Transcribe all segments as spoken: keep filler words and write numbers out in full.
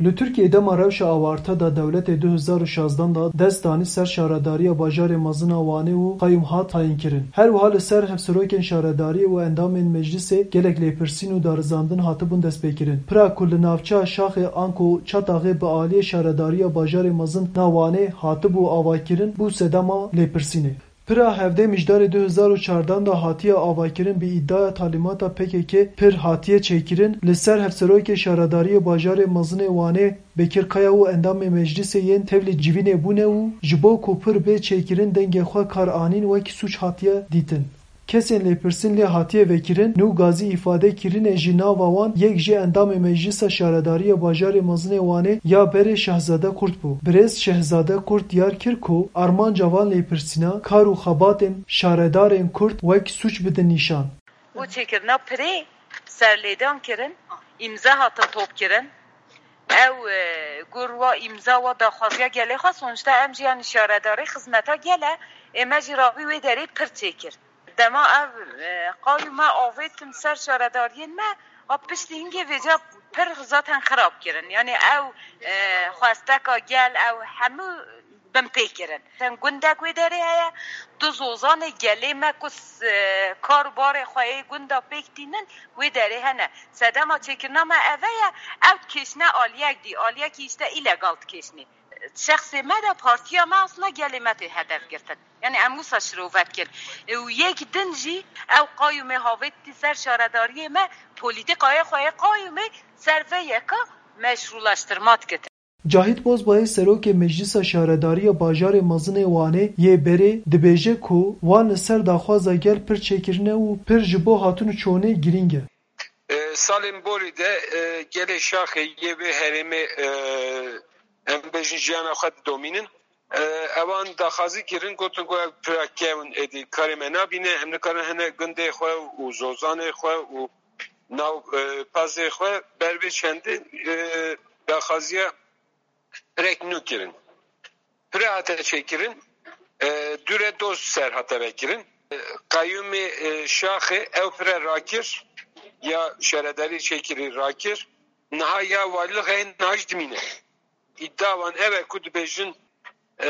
Li Tirkiyê dema rewşa awarte da dewletê du hezar û şazdan da dest danî ser şaredariya bajarê mezin a Wanê û qayûm hat tayînkirin. Her wiha li ser hevserokên şaredariyê û endamên meclisê gelek lêpirsîn û darizandin hatibûn destpêkirin. Pira ku li navçeya Şaxê anku Çataxê bi aliyê şaredariya bajarê mezin na Wanê hatibû avakirin, bû sedema lêpirsînê. Pira hevdeh Mijdarê du hezar û çardan de hatiye avakirin, bi îdiaya talîmata P K K pir hatiye çêkirin, li ser hevserokê şaredariyê bajarê mezinê Wanê Bekir Kaya û endamê meclisê yên tevlî civînê bûne û ji bo ku pir bê çêkirin dengê xwe kar anîn wekî sûc hatiye dîtin. Kesên lêpirsîn lê hatiye vekirin, nû gazî îfade kirine jî nava wan yek jê endamê meclisa şaredariyê bajarê mezinê Wanê ya berê Şehzade Kurt bû. Birêz Şehzade Kurt diyar kir ku armanca van lêpirsîna kar û xebatên şaredarên Kurd wek sûc bidin nîşan. Bo çêkirina pirê serlêdan kirin, îmze hatin top kirin. Ew, e, gur wa îmza wa daxwaziya gelê xwe, sonuçta em jî yanî şaredarê xizmeta gel e, ê me jî ravî wê derê pir çêkir. Dema ev, e, qayû me avêtin ser şaredariyên me, a piştî hingê vêca pir zaten xirab kirin. Yanî ew, e, xwesteka gel, ew hemû bin pê kirin. Sen gundek wê derê heye, du zozanê gelê me ku s-, e, kar û barê xwe yê gunda pêk tînin, wê derê hene. Sedema çêkirina me eve ye, ew dikêşne aliyek dî, aliyekî îşte îlegal dikêşnê. Şexsê me de partiya me aslında gelê me tê hedef girtin. Yani em wisa şirove dikin. E, û yek din jî ew qayûmê havêtî ser şaredariyê me, polîtîkayê xwe yê qayûmê ser vê yeka meşrûlaştirma dikitin. Cahit Bozbayê serokê Meclisa Şaredariya Bajarê Mezinê Wanê yê berê dibêje ku wan li ser daxwaza gel pir çêkirine û pir ji bo hatin û çûnê girîng e. E, salên borî de, e, gelê Şaxê yê vê herêmê, e, em bêjin jiyana xwe didomînin. E, ewan daxwazî kirin, gotin ku ev pira kevn êdî karê me nabîne, em nikarin hene gundê xwe û zozanê xwe û nav, e, pazê xwe ber vê çendê, e, daxwaziya pirek nû kirin. Pire hate çêkirin, e, dûre doz ser hate vekirin. E, qayûmê, e, Şaxê ew pire rakir, ya şaredarî çêkirî rakir, niha ya walixê niha jî dimîne. Îdia wan ev e ku dibêjin, e,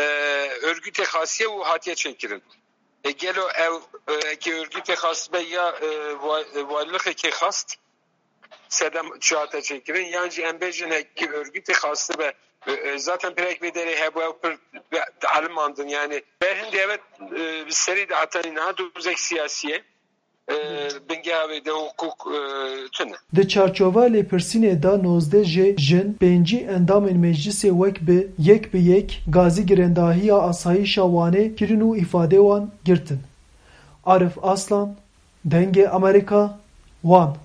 örgütê xasiye û hatiye çêkirin. E, gelo ew, e, eke örgütê xas be ya, e, wa-, e, walixekê xast, sedem çi hate çêkirin, yan jî em bêjin hekî örgütê xastibe, e, e, zaten pirek vê derê hebû, ew pir dialimandin. Yani ber hindê evet, e, bi serî de hetanî niha dozek siyasî ye. E, bingeha wê de hukuk, e, tune. Di çarçoveya lêpirsînê de nozdeh jê jin, pêncî endamên meclisê wek bi yek bi yek gazî girendahiya asayîşa Wanê kirin û îfadê wan girtin. Arif Aslan, Dengê Amerîka, Wan.